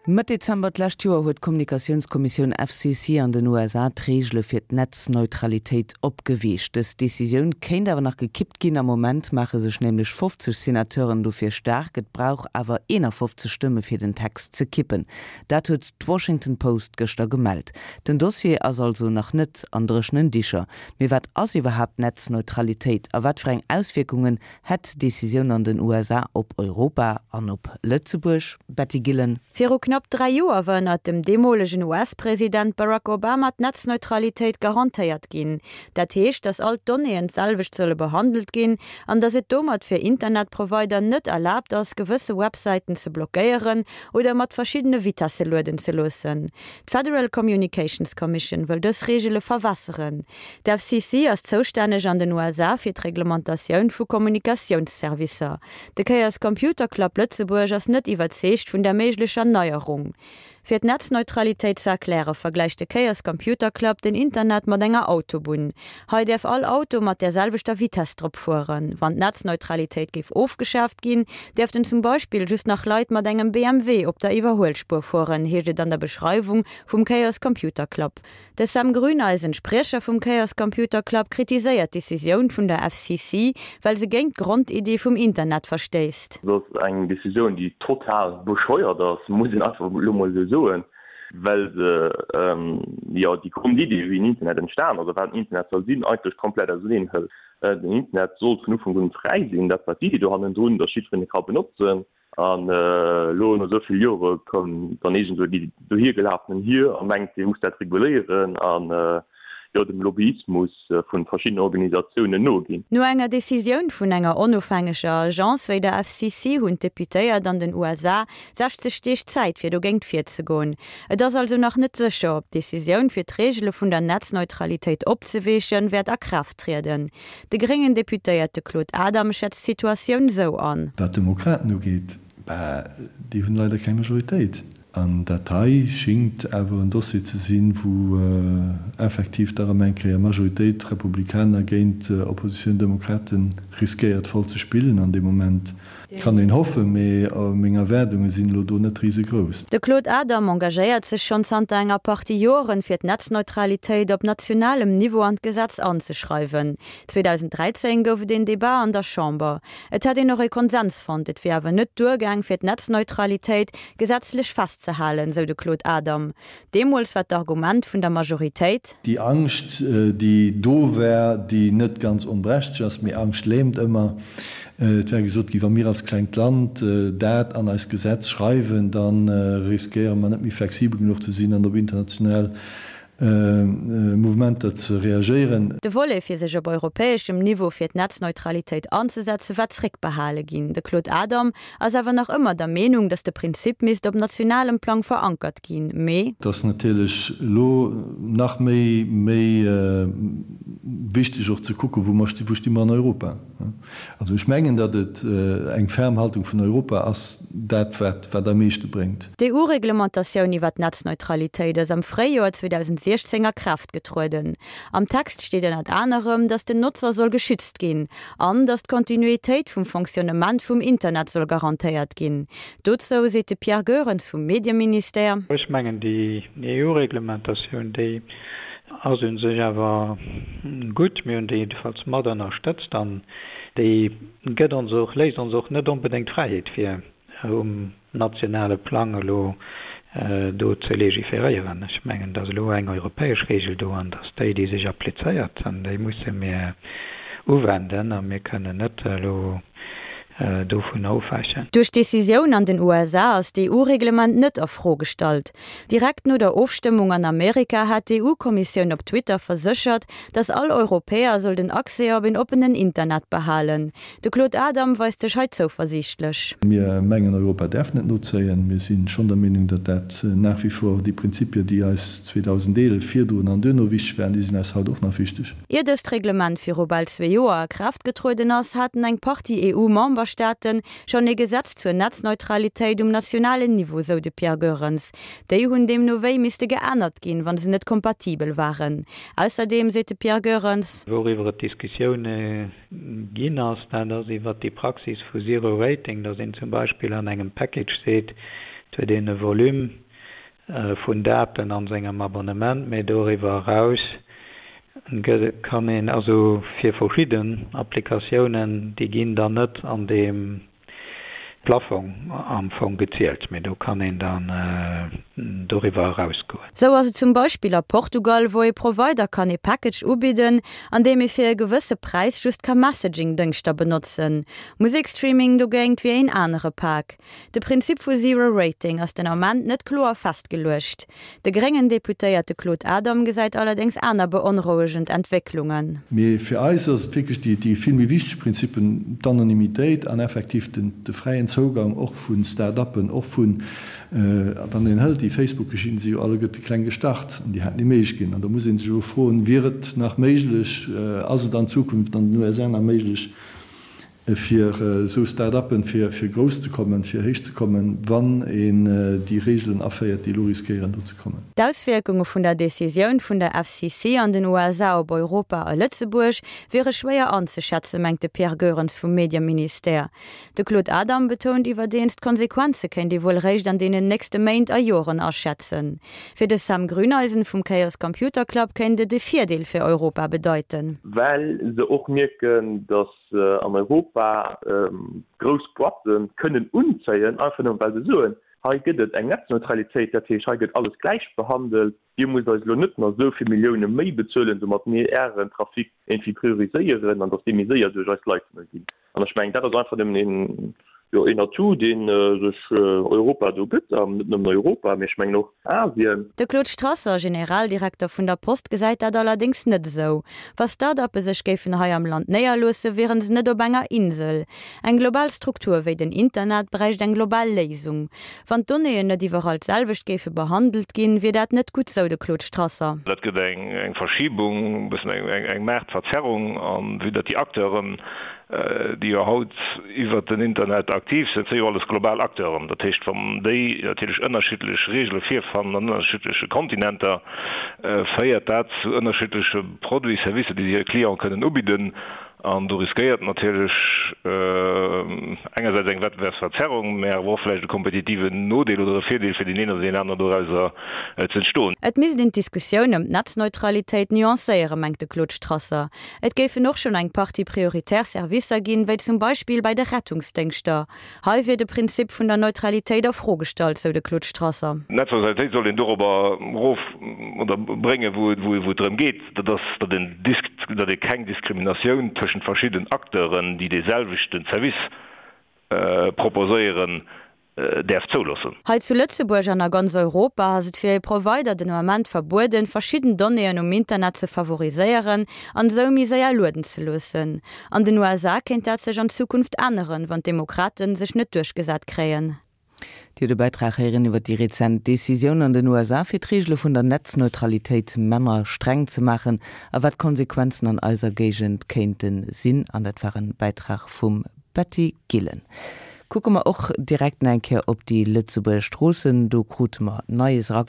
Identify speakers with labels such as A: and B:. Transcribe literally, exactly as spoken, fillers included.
A: Mëtt Dezember d'lescht Joer huet d'Kommunikatiounskommissioun F C C an den U S A d'Reegele fir d'Netzneutralitéit opgeweecht. Dës Decisioun kéint awer nach gekippt ginn. Am Moment maache sech nämlech fofzeg Senateuren dofir staark. Et brauch awer eenafofzeg Stëmme fir den Text ze kippen. Dat huet d'Washington Post gëschter gemellt. Den Dossier ass also nach net an dréchenen Dicher. Mee wat ass iwwerhaapt Netzneutralitéit a wat fir eng Auswierkungen hätt d'Decisioun an den U S A op Europa an op Lëtzebuerg? Betty Gillen.
B: Viru knapp dräi Joer war ënnert dem deemolegen U S-President Barack Obama d'Netzneutralitéit garantéiert ginn. Dat heescht, datt all d'Donnéeën d'selwecht solle behandelt ginn an datt et domat fir Internetprovider net erlaabt ass, gewësse Websäiten ze blockéieren oder mat verschiddene Vitesse lueden ze loossen. D'Federal Communications Commission wëll dës Reegele verwässeren. D'F C C ass zoustänneg an den U S A fir d'Reglementatioun vu Kommunikatiounsservicer. De Chaos Computer Club Lëtzebuerg ass net iwwerzeegt vun der méiglecher Neierung. Fir d'Netzneutralitéit ze erkläre vergläicht de Chaos Computer Club den Internet mat enger Autobunn. Hei däerf all Auto mat der selwechter Vitesse drop fueren. Wann d'Netzneutralitéit géif ofgeschaaft ginn, däerften zum Beispill just nach Leit mat engem B M W op der Iwwerhuelspuer fueren, heescht et an der Beschreiwung vum Chaos Computer Club. De Sam Grüneisen, Spriecher vum Chaos Computer Club, kritiséiert d'Decisioun vun der F C C, well se géint d'Grondiddi vum Internet verstéisst.
C: Dat ass eng Decisioun, déi total bescheuert ass, muss een einfach elo mol esou soen, well se ähm, jo, déi Grondiddi, wéi den Internet entstan ass, oder wat den Internet soll sinn, eigentlech komplett auserneen hëlt. Äh, den Internet sollt vun Ufank un fräi sinn, dat war d'Iddi do hannendrun, dass jiddwereen e ka benotzen. An äh, elo no esou vill Jore kënnt dann iergendwou déi dohiergelafenen hier a mengt, si muss dat reguléieren an äh, jo, dem Lobbyismus äh, vu verschiddenen Organisatiounen noginn.
B: No enger Decisioun vun enger onofhängeger Agence wéi der F C C hunn d'Deputéiert an den U S A sechzeg Deeg Zäit fir dogéint virzegoen. Et ass also nach net sécher, ob d'Decisioun fir d'Reegele vun der Netzneutralitéit opzeweechen wäert a Kraaft trieden. De gréngen Deputéierte Claude Adam schätzt d'Situatioun sou an.
D: Wat d'Demokraten ugeet, bah, déi hunn leider keng Majoritéit. An dat hei schéngt awer en Dossier ze sinn, wou äh, effektiv da erëm eng Kéier Majoritéit Republikaner géint äh, Oppositioun Demokraten riskéiert voll ze spillen an deem Moment. Kann een hoffen, mee äh, meng Erwaardunge sinn elo do net risegrouss.
B: De Claude Adam engagéiert sech schonn zanter enger Partie Joren fir d'Netzneutralitéit op nationalem Niveau an d'Gesetz anzeschreiwen. zweedausenddräizéng gouf et en Debat an der Chamber. Et hätt een och e Konsens fonnt, et wier awer net duergaang fir d'Netzneutralitéit gesetzlech festzehalen, sou de Claude Adam. Deemools war d'Argument vun der Majoritéit:
D: Déi Angscht, äh, déi do war, déi net ganz onberechtegt ass, mee Angscht lähmt ëmmer. Äh, et war gesot ginn, wa mir als klengt Land äh, dat an eist Gesetz schreiwen, dann riskéiere mer net méi flexibel genuch ze sinn an op international Mouvementer ze reagéieren.
B: De Volet fir sech op europäeschem Niveau fir d'Netzneutralitéit anzesetze war zréckbehale ginn. De Claude Adam ass awer nach ëmmer der Meenung, datt de Prinzip misst op nationalem Plang verankert ginn. Mee
D: Dat ass natierlech elo nach méi méi äh, wichteg och ze kucken, wou mer wou sti mer an Europa. Also ech mengen, datt et äh, eng ferm Haltung vun Europa ass dat wat wat am meeschte bréngt.
B: D'E U-Reglementatioun iwwer d'Netzneutralitéit ass am Fréijoer zweedausendsiechzéng a Kraaft getrueden. Am Text steet ënnert anerem, datt den Notzer soll geschützt ginn, an datt d'Kontinuitéit vum Fonctionnement vum Internet soll garantéiert ginn. Dozou seet de Pierre Goerens vum Medieministère:
E: Ech mengen déi E U-Reglementatioun, déi ass u sech awer gutt, mir hunn déi jiddefalls mat ënnerstëtzt an déi gëtt ons och léisst ons och net onbedéngt Fräiheet fir um nationale Plang elo äh, do ze legiferéieren. Ech mengen, datt elo eng europäesch Regel do an datt déi déi sech applizéiert an déi musse mir uwenden a mir kënnen net elo äh, dovun ofwäichen.
B: Duerch d'Decisioun an den U S A ass d'E U-Reglement net a Fro gestallt. Direkt no der Ofstëmmung an Amerika hat d'E U-Kommissioun op Twitter verséchert, datt all Europäer soll den Accès op en oppenen Internet behalen. De Claude Adam weist sech hei zouversiichtlech.
D: Mir mengen Europa däerf net nozéien. Mir si schonn der Meenung, datt dat nach wie vor déi Prinzipien, déi eis zweedausendeelef virdrun an duerno wichteg waren, déi sinn eis haut och nach wichteg.
B: Ier dëst Reglement viru bal zwee Joer a Kraaft getrueden ass, haten eng Partie E U-Memberstaate schonn e Gesetz zur Netzneutralitéit um nationalen Niveau, sou de Pierre Goerens. Déi hunn deemno wéi misste geännert ginn, wann se net kompatibel waren. Ausserdeem seet de Pierre Goerens:
E: Wouriwwer et Diskussioune ginn ass, dat ass iwwer déi Praxis vu Zero Rating, datt een zum Beispill an engem Package seet, Et huet een e Volume vun Daten an sengem Abonnement, mee doriwwer eraus kann een also fir verschidden Applikatiounen, déi ginn dann net an deem Plafong am Fong gezielt, mee do kann een dann doriwwer erausgoen.
B: Sou ass et zum Beispill a Portugal, wou ee Provider kann ee Package ubidden, an deem ee fir e gewësse Präis just ka Messaging-Dëngschter benotzen. Musekstreaming dogéint wier een anere Pak. De Prinzip vu Zero Rating ass den Ament net kloer festgeluecht. De gréngen Deputéierte Claude Adam gesäit allerdéngs aner beonrouegend Entwécklungen.
D: Mee fir eis ass et wierklech déi, déi vill méi wichteg Prinzippen, d'Anonymitéit an effektiv den, de fräien Zougang och vu Start-uppen, och vun, wann een hëlt déi Facebook-Geschichten, si jo alleguerte kleng gestart an déi haten déi Méiglechkeeten. An da muss ee sech elo froen, Wier et nach méiglech, ass et an Zukunft an den U S A nach méiglech, fir esou Start-uppen, fir fir grouss ze kommen, fir héich ze kommen, wann een déi Regeln aféiert, déi elo riskéieren do ze kommen?
B: D'Auswierkunge vun der Decisioun vun der F C C an den U S A op Europa a Lëtzebuerg wiere schwéier anzeschätzen, mengt de Pierre Goerens vum Medieministère. De Claude Adam betount iwwerdeems, d'Konsequenze kéint ee wuel réischt an deenen nächste Méint a Joren aschätzen. Fir de Sam Grüneisen vum Chaos Computer Club kéint et e Virdeel fir Europa bedeiten.
C: Well se och mierken, datt se an Europa grouss Boîten kënnen unzéien, einfach nëmmen well se soen, hei gëtt et eng Netzneutralitéit, dat heescht hei gëtt alles gläich behandelt, dir musst eis elo net nach esou vill Millioune méi bezuelen, domat mir ären Trafic iergendwéi prioriséieren an datt dee méi séier duerch eis Leitunge geet. An ech mengen, dat ass einfach nëmmen een, jo, een Atout, dee sech Europa do gëtt, an net nëmmen Europa, mee ech mengen och Asien.
B: De Claude Strasser, Generaldirekter vun der Post, gesäit dat allerdéngs net esou. Wa Start-uppe sech géifen hei am Land néierloossen, wiere se net op enger Insel. Eng global Struktur wéi den Internet bräicht eng global Léisung. Wann d'Donnéeën net iwwerall d'selwecht géife behandelt ginn, wier dat net gutt, sou de Claude Strasser.
F: Dat gëtt eng Verschibung, e bëssen eng Maartverzerrung, an vue datt déi Acteuren, déi jo haut iwwert den Internet aktiv sinn, si jo alles global Acteuren. Dat heescht, wann déi natierlech ënnerschiddlech Reegele virfannen an ënnerschiddleche Kontinenter, féiert dat zu ënnerschiddleche Produits, Servicer, déi si hire Cliente kënnen ubidden. An do riskéiert natierlech engersäits eng Wettbewerbsverzerrung, mä awer och vläicht e kompetitiven Nodeel oder e Virdeel fir deen een oder deen aneren dorauser ze entstoen.
B: Et misst een d'Diskussioun ëm d'Netzneutralitéit nuancéieren, mengt de Claude Strasser. Et géifen och schonn eng Partie prioritär Servicer ginn, wéi zum Beispill bei de Rettungsdéngschter. Hei wier de Prinzip vun der Neutralitéit a Fro gestallt, sou de Claude Strasser.
F: D'Netzneutralitéit sollt een dorobber erof oder bréngen, wou et drëm geet, dat ass, datt een datt ee keng Diskriminatioun tëschent verschidden Acteuren, déi dee selwechten Service proposéieren, däerf zouloossen.
B: Hei zu Lëtzebuerg an a ganz Europa ass et fir e Provider den Ament verbueden, verschidden Donnéeën um Internet ze favoriséieren an esou méi séier lueden ze loossen. An den U S A kéint dat sech an Zukunft änneren, wann d'Demokraten sech net duerchgesat kréien.
A: Dir hutt e Bäitrag héieren iwwer déi rezent Decisioun an den U S A fir d'Reegele vun der Netzneutralitéit manner streng ze maachen a wat d'Konsequenzen an eiser Géigend kéinte sinn. An dat war e Bäitrag vum Betty Gillen. Kucke mer och direkt nach eng Kéier op déi Lëtzebuerger Stroossen, do krute mer Neies.